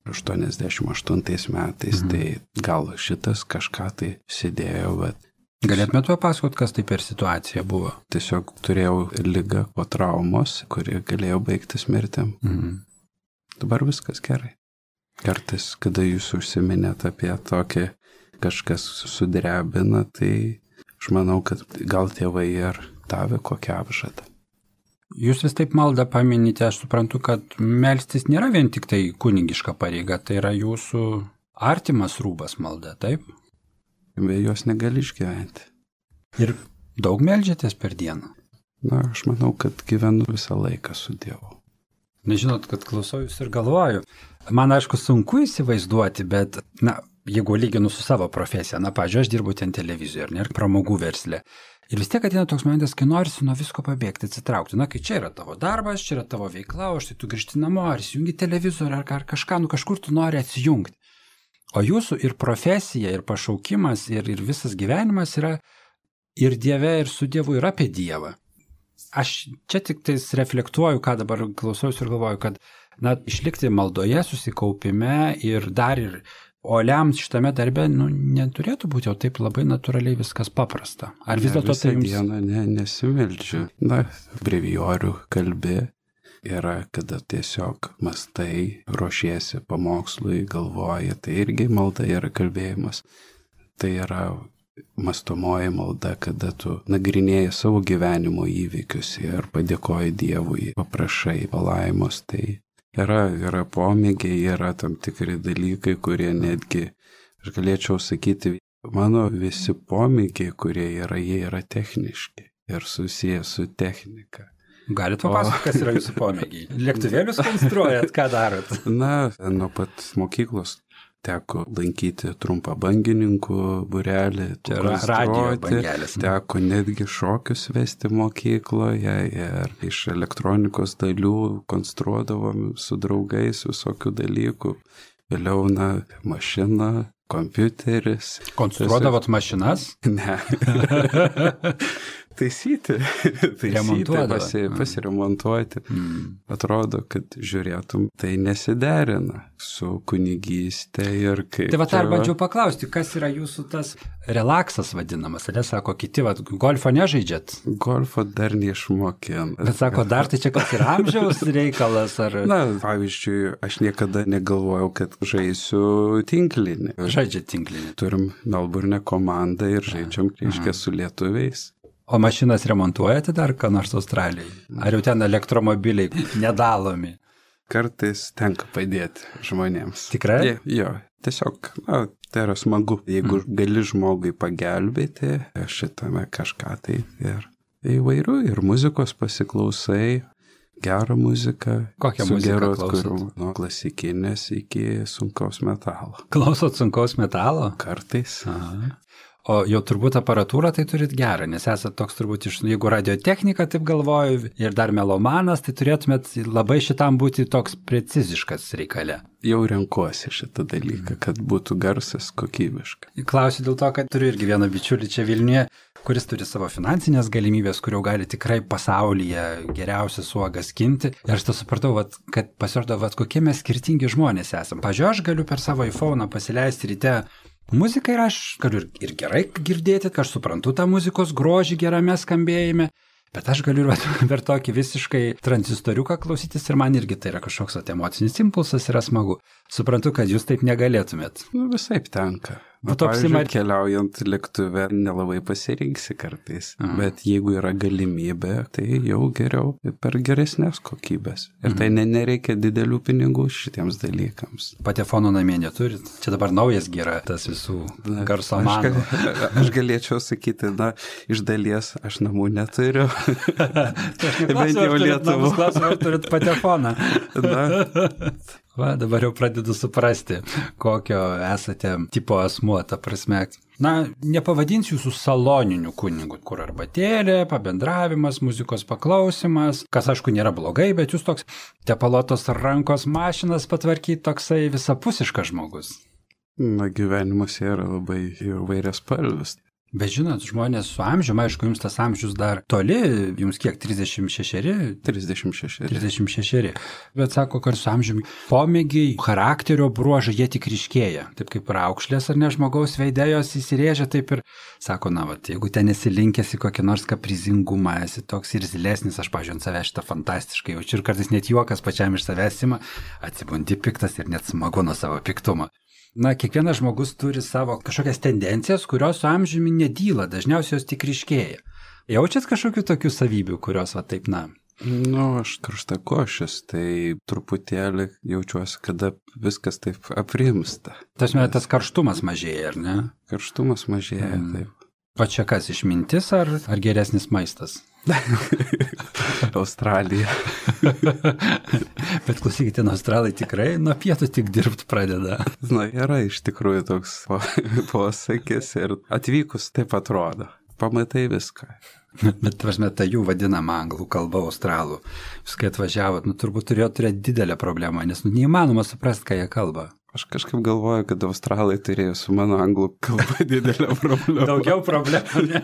88 metais, tai gal šitas kažką tai sėdėjo, bet... Galėtumėt papasakot, kas tai per situacija buvo? Tiesiog turėjau ligą po traumos, kuri galėjo baigtis mirtim. Dabar viskas gerai. Kartais, kada jūs užsiminėt apie tokį kažkas sudrebina, tai aš manau, kad gal tėvai ir davė kokią apžadą. Jūs vis taip maldą paminite, aš suprantu, kad melstis nėra vien tik tai kunigiška pareiga, tai yra jūsų artimas rūbas malda, taip? Be jos negali išgyventi. Ir daug meldžiatės per dieną? Na, aš manau, kad gyvenu visą laiką su Dievu. Nežinot, kad klausau jūs ir galvoju. Man, aišku, sunku įsivaizduoti, bet, jeigu lyginu su savo profesija, pavyzdžiui, aš dirbu ten televizijoje, ir pramogų versle. Ir vis tiek ateina toks momentas, kai norisi nuo visko pabėgti, atsitraukti. Kai čia yra tavo darbas, čia yra tavo veikla, o štai tu grįžti namo, ar įsijungi televizorių, ar kažką, kažkur tu nori atsijungti. O jūsų ir profesija, ir pašaukimas, ir visas gyvenimas yra ir Dieve, ir su Dievu, ir apie Dievą. Aš čia tik tais reflektuoju, ką dabar klausausi ir galvoju, kad išlikti maldoje, susikaupime ir dar ir oliams šitame darbe, neturėtų būti jau taip labai natūraliai viskas paprasta. Ar vis dėlto tai jums... Visą dieną nesimeldžiu. Brevijorių kalbė yra, kada tiesiog mastai, ruošiesi pamokslui, galvoji, tai irgi malda yra kalbėjimas. Tai yra mąstomoji malda, kada tu nagrinėji savo gyvenimo įvykius ir padėkoji Dievui, paprašai palaimos, tai yra pomėgiai, yra tam tikri dalykai, kurie netgi, aš galėčiau sakyti, mano visi pomėgiai, kurie jie yra techniški ir susiję su technika. Galite papasakoti, kas yra jūsų pomėgiai? Lėktuvėlius konstruojat, ką darot? Nuo pat mokyklos teko lankyti trumpą bangininkų būrelį, teko netgi šokius vesti mokykloje ir iš elektronikos dalių konstruodavom su draugais visokių dalykų. Vėliau, mašina, kompiuteris. Konstruodavot mašinas? Ne. Taisyti, pasiremontuoti. Atrodo, kad žiūrėtum, tai nesiderina su kunigystė ir kaip... Tai dar bandžiau paklausti, kas yra jūsų tas relaksas vadinamas, ar sako kiti, golfo nežaidžiat? Golfo dar neišmokėm. Bet sako, dar tai čia kas yra amžiaus reikalas, ar... Pavyzdžiui, aš niekada negalvojau, kad žaisiu tinklinį. Žaidžiat tinklinį. Turim Melburne komandą ir žaidžiam, reiškia, su lietuviais. O mašinas remontuojate dar, ką nors Australijai? Ar jau ten elektromobiliai nedalomi? Kartais tenka padėti žmonėms. Tikrai? Jo, tiesiog, tai yra smagu. Jeigu gali žmogui pagelbėti, šitame kažką tai ir įvairių, ir muzikos pasiklausai, gerą muziką. Kokią muziką klausot? Nuo klasikinės iki sunkaus metalo. Klausot sunkaus metalo? Kartais. Aha. O jau turbūt aparatūrą tai turit gerą, nes esat toks turbūt jeigu radiotechnika, taip galvoju, ir dar melomanas, tai turėtumėt labai šitam būti toks preciziškas reikale. Jau renkuosi šitą dalyką, kad būtų garsas kokybiškas. Klausiu dėl to, kad turiu irgi vieną bičiulį čia Vilniuje, kuris turi savo finansinės galimybės, kur jau gali tikrai pasaulyje geriausias uogas skinti. Ir aš tą supratau, kad pasirodo, kokie mes skirtingi žmonės esam. Pavyzdžiui, aš galiu per savo iPhone'ą pasileisti ryte muziką ir aš galiu ir gerai girdėti, kad aš suprantu tą muzikos grožį gerame skambėjime, bet aš galiu per tokį visiškai tranzistoriuką klausytis ir man irgi tai yra kažkoks emocinis impulsas, yra smagu. Suprantu, kad jūs taip negalėtumėt. Visaip tenka. Pavyzdžiui, keliaujant lėktuve nelabai pasirinksi kartais, bet jeigu yra galimybė, tai jau geriau per geresnės kokybės. Ir tai nereikia didelių pinigų šitiems dalykams. Patefono namie neturit? Čia dabar naujas yra tas visų garso manų. Aš galėčiau sakyti, iš dalies aš namų neturiu. Bent jau Lietuvos klausimą, ar turit patefoną? Dabar jau pradedu suprasti, kokio esate tipo asmuo, ta prasme. Nepavadinsiu jūsų saloniniu kunigu, kur arbatėlė, pabendravimas, muzikos paklausimas, kas aišku nėra blogai, bet jūs toks tepalotos rankos mašinas patvarkyti, toksai visapusiškas žmogus. Gyvenimas yra labai įvairias spalvis. Bet žinot, žmonės su amžiumi, aišku, jums tas amžius dar toli, jums kiek, 36? 36. 36. Bet sako, kad su amžiumi pomėgiai, charakterio bruožai, jie tik ryškėja. Taip kaip raukšlės ar ne žmogaus veidėjos įsirėžia, taip ir sako, na, vat, jeigu ten esi linkęs į kokį nors kaprizingumą, esi toks ir zilesnis, aš, pažiūrėjau, ant savęs šitą fantastiškai jaučiu ir kartais net juokas pačiam iš savęs ima, atsibundi piktas ir net smagu nuo savo piktumo. Na, kiekvienas žmogus turi savo kažkokias tendencijas, kurios su amžiumi nedyla, dažniausiai jos tik ryškėja. Jaučiat kažkokių tokių savybių, kurios va taip, na? Nu, aš karštakošis, tai truputėlį jaučiuosi, kada viskas taip aprimsta. Tas karštumas mažėja, ar ne? Karštumas mažėja, taip. O čia kas, išmintis ar geresnis maistas? Australija. Bet klausykite, australai tikrai nuo pietų tik dirbti pradeda. Na, yra iš tikrųjų toks posakis ir atvykus taip atrodo. Pamatai viską. Bet, prasme, ta jų vadinama anglų kalba australų. Jūs kai atvažiavot, turbūt turėjo turėti didelę problemą, nes neįmanoma suprasti, ką jie kalba. Aš kažkaip galvoju, kad australai turėjo su mano anglų kalba didelę problemą. Daugiau problemų, ne?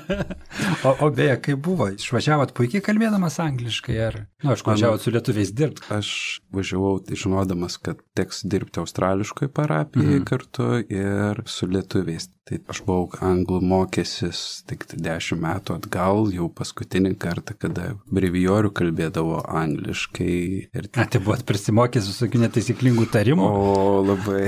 O beje, kaip buvo? Išvažiavot puikiai kalbėdamas angliškai, ar? Nu, aš važiavot su lietuviais dirbti. Aš važiavau žinodamas, kad teks dirbti australiškoje parapijoje kartu ir su lietuviais. Tai aš buvau anglų mokęsis tik 10 metų atgal, jau paskutinį kartą, kada brevijorių kalbėdavo angliškai. Tai buvot prisimokęs visokių netaisyklingų tarimų? O, labai.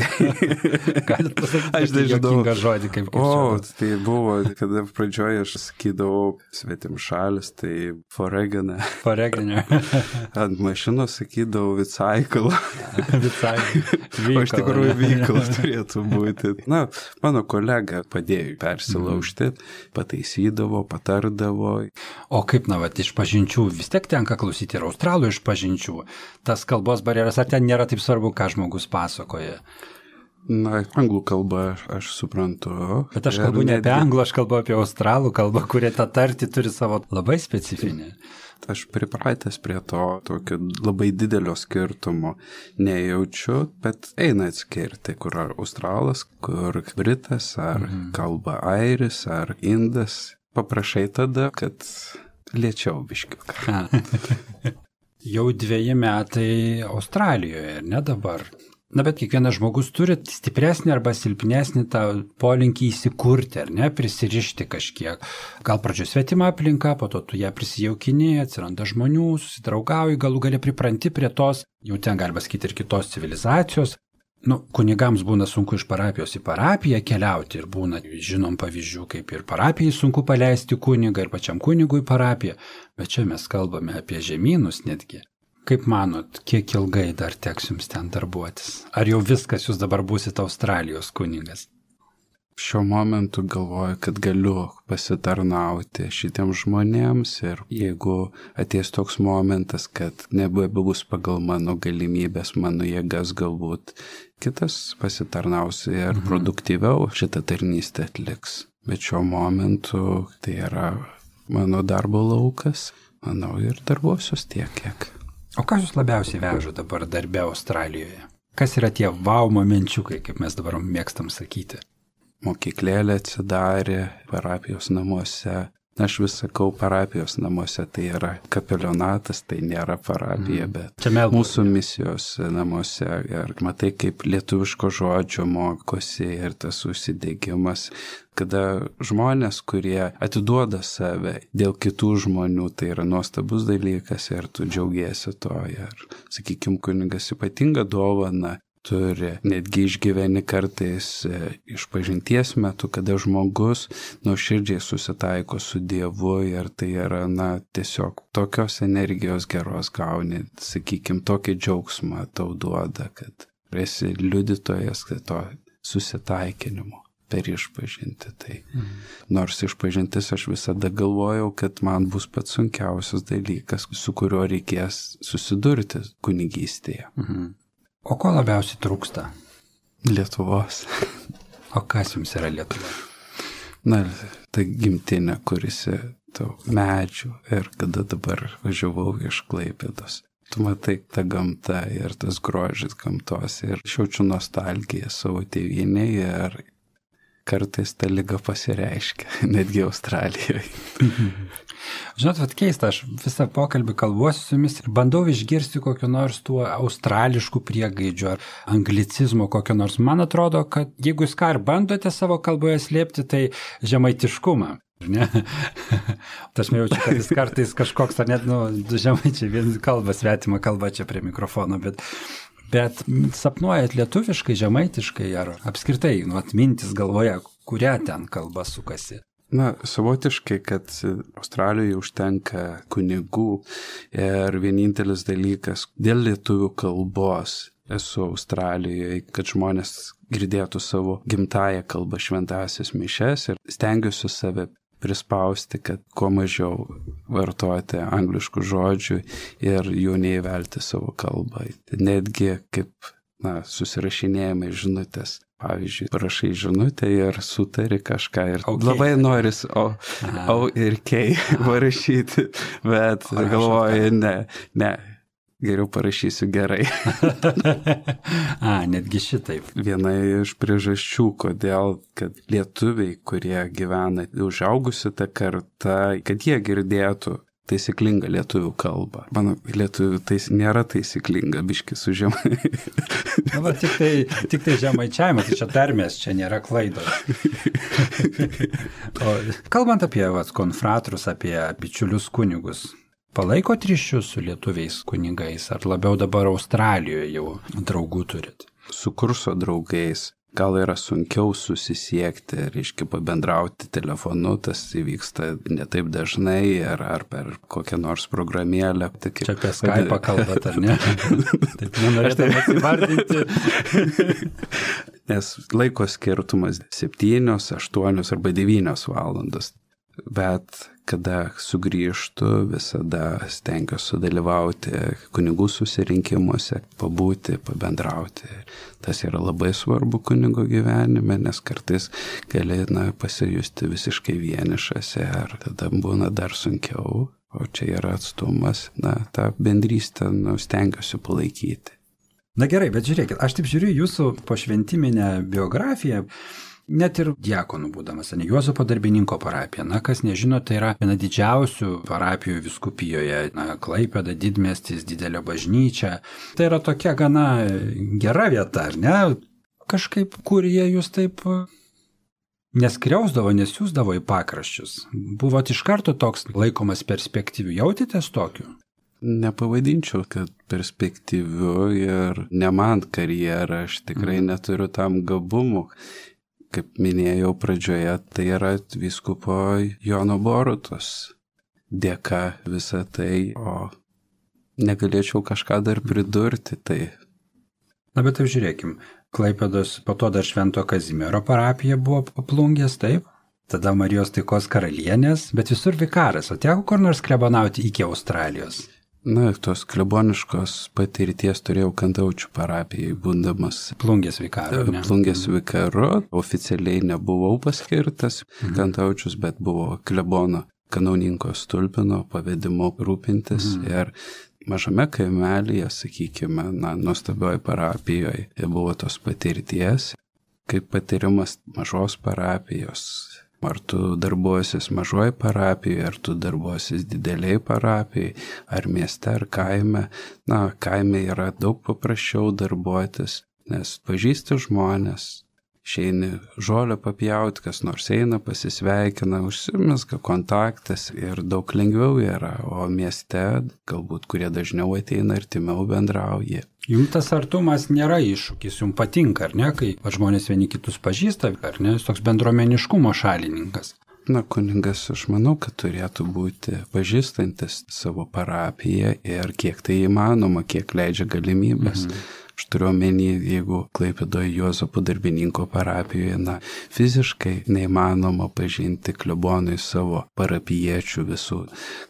Galit pasakyti, aš juokingą žodį, kaip kirčiuoju. O, tai buvo, kada pradžioje aš sakydavau svetim šalis, tai foreganą. Foreganą. Ant mašinos sakydavau vicaikal. Vicaikal. O iš tikrųjų vykal turėtų būti. Na, mano kolega padėjo persilaužti, pataisydavo, patardavo. O kaip, na, vat, iš pažinčių vis tiek tenka klausyti ir australų iš pažinčių. Tas kalbos barjeras, ar ten nėra taip svarbu, ką žmogus pasakoja? Na, anglų kalbą aš suprantu. Bet aš kalbu ne apie anglų, aš kalbu apie australų kalbą, kurie tą tartį turi savo labai specifinį. Aš pripratęs prie to tokio labai didelio skirtumo nejaučiu, bet eina atskirti, kur ar australas, kur britas, ar kalba airis, ar indas. Paprašai tada, kad lėčiau biškiuką. Jau 2 metai Australijoje, ne dabar? Na, bet kiekvienas žmogus turi stipresnį arba silpnesnį tą polinkį įsikurti, ar ne, prisirišti kažkiek. Gal pradžioje svetima aplinka, po to tu ją prisijaukini, atsiranda žmonių, susidraugauji, galų gali pripranti prie tos, jau ten galima sakyti ir kitos civilizacijos. Kunigams būna sunku iš parapijos į parapiją keliauti ir būna, žinom pavyzdžių, kaip ir parapijai sunku paleisti kunigą ir pačiam kunigui parapiją, bet čia mes kalbame apie žemynus netgi. Kaip manot, kiek ilgai dar teks jums ten darbuotis? Ar jau viskas, jūs dabar būsit Australijos kunigas? Šiuo momentu galvoju, kad galiu pasitarnauti šitiems žmonėms ir jeigu ateis toks momentas, kad nebebus pagal mano galimybės, mano jėgas, galbūt kitas pasitarnaus ir produktyviau šitą tarnystę atliks. Bet šiuo momentu tai yra mano darbo laukas, manau, ir darbuosius tiek, kiek. O kas jūs labiausiai veža dabar darbe Australijoje? Kas yra tie wow momenčiukai, kaip mes dabar mėgstam sakyti? Mokyklėlė atsidarė parapijos namuose. Aš vis sakau, parapijos namuose tai yra kapelionatas, tai nėra parapija, bet mūsų misijos namuose. Ir matai, kaip lietuviško žodžio mokosi ir tas užsidegimas, kada žmonės, kurie atiduoda save dėl kitų žmonių, tai yra nuostabus dalykas ir tu džiaugiesi to. Ir, sakykime, kunigas ypatingą dovaną turi, netgi išgyveni kartais išpažinties metu, kada žmogus nuoširdžiai susitaiko su Dievu ir tai yra, tiesiog tokios energijos geros gauni, sakykime, tokį džiaugsmą tau duoda, kad esi liudytojas to susitaikinimo per išpažinti. Tai. Nors išpažintis aš visada galvojau, kad man bus pats sunkiausias dalykas, su kuriuo reikės susidurti kunigystėje. O ko labiausiai trūksta? Lietuvos. O kas jums yra Lietuva? Tai gimtinė, kuris medžių ir kada dabar važiavau iš Klaipėdos. Tu matai tą gamtą ir tas grožis gamtos ir jaučiu nostalgiją savo tėvynėje ir kartais ta liga pasireiškia, netgi Australijoje. Žinot, vat keista, aš visą pokalbį kalbuosiu su jumis ir bandau išgirsti kokio nors tuo australiškų priegaidžių ar anglicizmo kokio nors. Man atrodo, kad jeigu jūs ką ir bandote savo kalboje slėpti, tai žemaitiškumą. Ne? Aš jaučiu, kad jis kartais kažkoks, ar net, žemaičiai vien kalba, svetima kalba čia prie mikrofono, bet sapnuojat lietuviškai, žemaitiškai ar apskritai, mintis galvoje, kurią ten kalba sukasi. Na, savotiškai, kad Australijoje užtenka kunigų ir vienintelis dalykas, dėl lietuvių kalbos esu Australijoje, kad žmonės girdėtų savo gimtąją kalbą šventąsias mišias ir stengiuosi save prispausti, kad kuo mažiau vartoti angliškų žodžių ir jų neįvelti savo kalbą. Netgi kaip, susirašinėjame žinutės. Pavyzdžiui, parašai žinutę ir sutari kažką ir labai noris O ir K parašyti, bet galvoju, ne, geriau parašysiu gerai. Netgi šitaip. Viena iš priežasčių, kodėl, kad lietuviai, kurie gyvena užaugusi tą kartą, kad jie girdėtų taisyklinga lietuvių kalba. Mano lietuvių nėra taisyklinga, biški su žemai. Tik tai žemaičiavimas, tai čia tarmės, čia nėra klaidos. Kalbant apie konfratrus, apie bičiulius kunigus, palaikot ryšius su lietuviais kunigais, ar labiau dabar Australijoje jau draugų turit? Su kurso draugais. Gal yra sunkiau susisiekti, reiškia pabendrauti telefonu, tas įvyksta ne taip dažnai ar per kokią nors programėlę. Čia apie Skype'ą kalbat, ar ne? Taip nenorėtum atsivardinti. Nes laiko skirtumas 7, 8 arba 9 valandos. Bet kada sugrįžtu, visada stengiuosi dalyvauti kunigų susirinkimuose, pabūti, pabendrauti. Tas yra labai svarbu kunigo gyvenime, nes kartais gali pasijusti visiškai vienišas ir tada būna dar sunkiau, o čia yra atstumas, tą bendrystę stengiuosi palaikyti. Na gerai, bet žiūrėkit, aš taip žiūriu jūsų pošventiminę biografiją, net ir diakonų būdamas, Juozapo Darbininko parapija. Kas nežino, tai yra viena didžiausių parapijų vyskupijoje. Klaipėda, didmiestis, didelė bažnyčia. Tai yra tokia gana gera vieta, ar ne? Kažkaip, kur jie jūs taip neskriausdavo, nesiūsdavo į pakraščius. Buvot iš karto toks laikomas perspektyviu. Jautėtės tokiu? Nepavadinčiau, kad perspektyviu ir ne man karjerą. Aš tikrai neturiu tam gabumų. Kaip minėjau pradžioje, tai yra vyskupo Jono Borutos dėka visą tai, o negalėčiau kažką dar pridurti. Tai. Bet taip žiūrėkim, Klaipėdos, po to dar Švento Kazimiero parapija buvo Plungės, taip? Tada Marijos Taikos karalienės, bet visur vikaras, o teko kur nors klebonauti iki Australijos? Tos kleboniškos patirties turėjau Kantaučių parapijai, būdamas Plungės vikaru. Plungės vikaru, oficialiai nebuvau paskirtas Kantaučius, bet buvo klebono kanauninko Stulpino pavedimu rūpintis ir mažame kaimelyje, sakykime, nuostabioje parapijoje buvo tos patirties, kaip patyrimas mažos parapijos. Ar tu darbuosis mažoje parapijoje, ar tu darbuosis dideliai parapijai, ar mieste, ar kaime. Kaime yra daug paprasčiau darbuotis, nes pažįsti žmonės, išeini žolę papjauti, kas nors eina, pasisveikina, užsimezga kontaktas ir daug lengviau yra, o mieste galbūt kurie dažniau ateina, artimiau bendrauja. Jums tas artumas nėra iššūkis, jums patinka, ar ne, kai žmonės vieni kitus pažįsta, ar ne, jūs toks bendruomeniškumo šalininkas. Kunigas, aš manau, kad turėtų būti pažįstantis savo parapiją ir kiek tai įmanoma, kiek leidžia galimybės. Aš turiu omeny, jeigu Klaipėdoje Juozapo Darbininko parapijoje, fiziškai neįmanoma pažinti klebonui savo parapijiečių visų.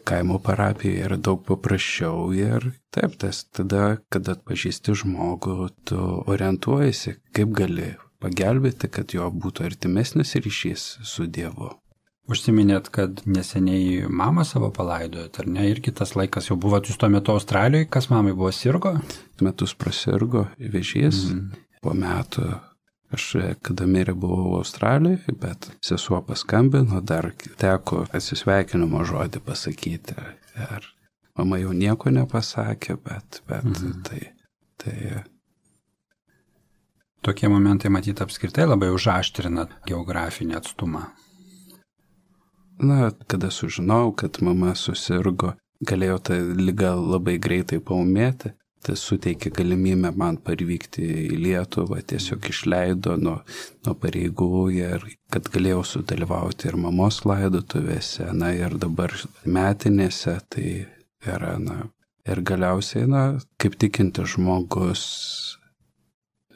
Kaimo parapijoje yra daug paprasčiau ir taip, tas tada, kada atpažįsti žmogų, tu orientuojasi, kaip gali pagelbėti, kad jo būtų artimesnis ryšys su Dievu. Užsiminėt, kad neseniai mamą savo palaidojot, ar ne? Ir kitas laikas jau buvot jūs tuo metu Australijoje, kas mamai buvo, sirgo? Metus prasirgo vėžys, po metų Aš kada mirė buvau Australijoje, bet sesuo paskambino, dar teko atsisveikinimo žodį pasakyti. Ir mama jau nieko nepasakė, bet tai... Tokie momentai, matyt, apskritai labai užaštrina geografinį atstumą. Na, kada sužinau, kad mama susirgo, galėjau tą ligą labai greitai paūmėti. Tai suteikė galimybę man parvykti į Lietuvą, tiesiog išleido nuo pareigų ir kad galėjau sudalyvauti ir mamos laidotuvėse, na ir dabar metinėse, tai yra, ir galiausiai, kaip tikintis žmogus,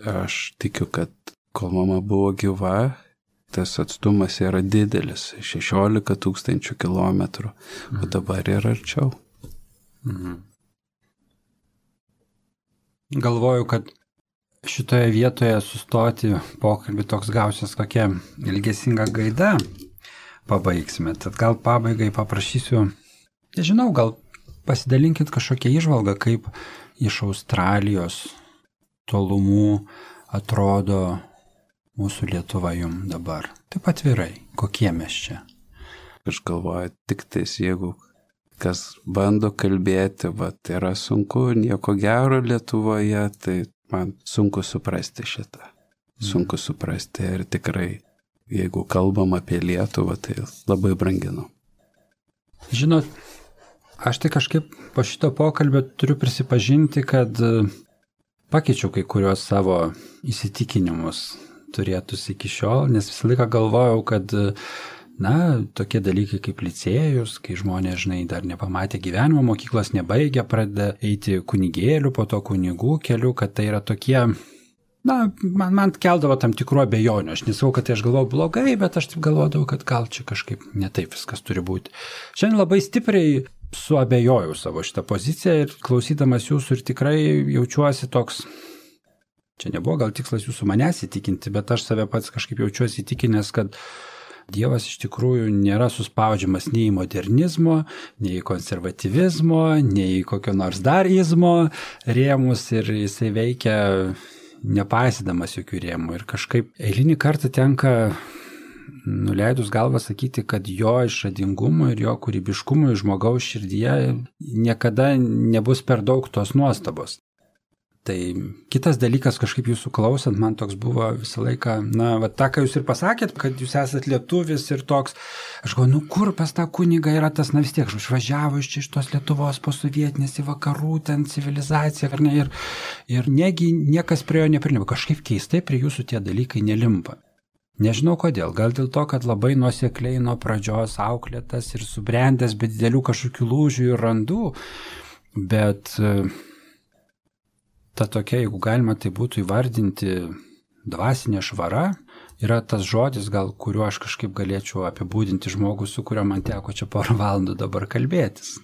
aš tikiu, kad kol mama buvo gyva, tas atstumas yra didelis, 16 000 kilometrų, o dabar yra arčiau. Mhm. Galvoju, kad šitoje vietoje sustoti pokalbį toks gausias kokia ilgesinga gaida pabaigsime. Tad gal pabaigai paprašysiu, nežinau, gal pasidalinkit kažkokią įžvalgą, kaip iš Australijos tolumų atrodo mūsų Lietuva jums dabar. Taip atvirai, kokie mes čia? Aš galvoju, tik tais jeigu kas bando kalbėti, yra sunku, nieko gero Lietuvoje, tai man sunku suprasti šitą. Sunku suprasti ir tikrai, jeigu kalbam apie Lietuvą, tai labai branginu. Žinot, aš tai kažkaip po šito pokalbio turiu prisipažinti, kad pakeičiau kai kurios savo įsitikinimus turėtus iki šiol, nes visą laiką galvojau, kad tokie dalykai kaip licėjus, kai žmonės, dar nepamatė gyvenimo, mokyklos nebaigė, pradeda eiti kunigėlių, po to kunigų keliu, kad tai yra tokie, man keldavo tam tikrų abejonių. Aš nesakau, kad tai aš galvoju blogai, bet aš taip galvodavau, kad gal čia kažkaip netaip viskas turi būti. Šiandien labai stipriai suabejojau savo šitą poziciją ir klausydamas jūsų ir tikrai jaučiuosi toks, čia nebuvo gal tikslas jūsų manęs įtikinti, bet aš save pats kažkaip jaučiuosi įtikinęs, kad Dievas iš tikrųjų nėra suspaudžiamas nei į modernizmo, nei į konservatyvizmo, nei į kokio nors darizmo rėmus ir jisai veikia nepaisydamas jokių rėmų. Ir kažkaip eilinį kartą tenka nuleidus galvą sakyti, kad jo išradingumui ir jo kūrybiškumui žmogaus širdyje niekada nebus per daug tos nuostabos. Tai kitas dalykas, kažkaip jūsų klausant, man toks buvo visą laiką, tą, ką jūs ir pasakėt, kad jūs esat lietuvis ir toks, aš galvoju, kur pas tą kunigą yra tas, vis tiek, išvažiavo iš tos Lietuvos posovietinės į vakarų, ten civilizaciją, ar ne, ir negi niekas prie jo neprilimpa, kažkaip keistai prie jūsų tie dalykai nelimpa. Nežinau kodėl, gal dėl to, kad labai nuosekliai nuo pradžios auklėtas ir subrendęs, be didelių kažkokių lūžių ir randų, bet ta tokia, jeigu galima tai būtų įvardinti, dvasinė švara, yra tas žodis, gal kuriuo aš kažkaip galėčiau apibūdinti žmogų, su kuriuo man teko čia porą valandų dabar kalbėtis.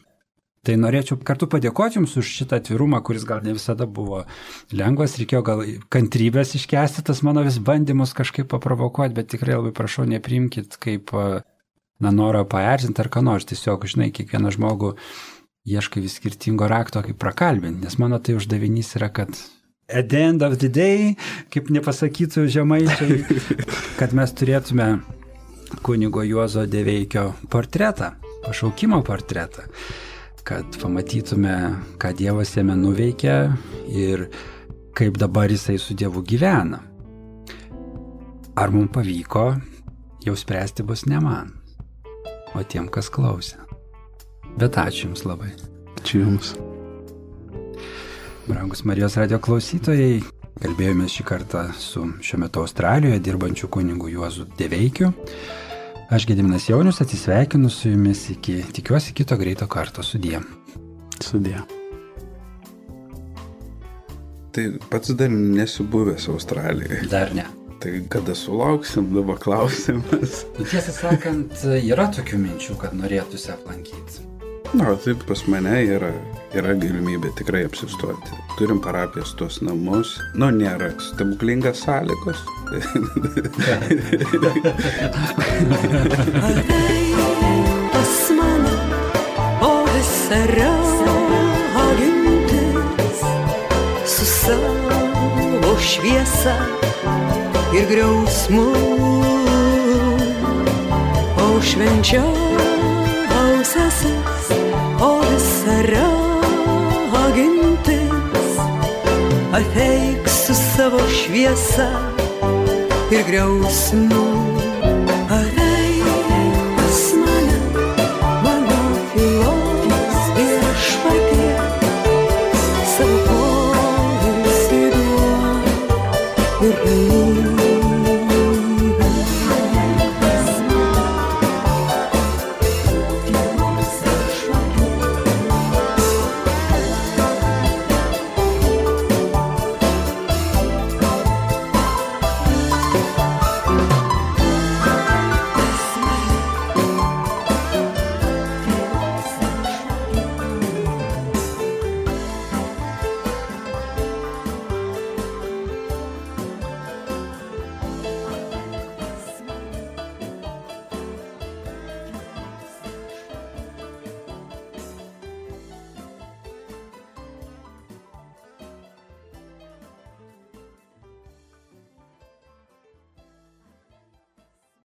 Tai norėčiau kartu padėkoti Jums už šitą atvirumą, kuris gal ne visada buvo lengvas, reikėjo gal kantrybės iškęsti tas mano vis bandymus kažkaip paprovokuoti, bet tikrai labai prašau, nepriimkit kaip norą paerzinti ar ką nors, tiesiog, kiekvieną žmogų ieškai vis skirtingo rakto, kaip prakalbinti, nes mano tai uždavinys yra, kad at the end of the day, kaip nepasakytų žemaičiai, kad mes turėtume kunigo Juozo Deveikio portretą, pašaukimo portretą, kad pamatytume, ką Dievas jame nuveikia ir kaip dabar jisai su Dievu gyvena. Ar mums pavyko, jau spręsti bus ne man, o tiem, kas klausė. Bet ačiū Jums labai. Ačiū Jums. Brangus Marijos radijo klausytojai, kalbėjome šį kartą su šiuo metu Australijoje dirbančiu kunigu Juozu Deveikiu. Aš Gediminas Jaunius atsisveikinu su Jumis tikiuosi kito greito karto. Sudie. Sudie. Tai pats dar nesu buvęs Australijoje. Dar ne. Tai kada sulauksim, dabar klausimas. Tiesą sakant, yra tokių minčių, kad norėtųsi aplankyti. Taip pas mane yra galimybė tikrai apsistoti. Turim parapijos tuos namus. Nėra stebuklingas sąlygos. Pas mane, o visara gintis su savo šviesa. ir griausmų, o švenčiausiasis, o visa ragintis, ateik su savo šviesa ir griausmu.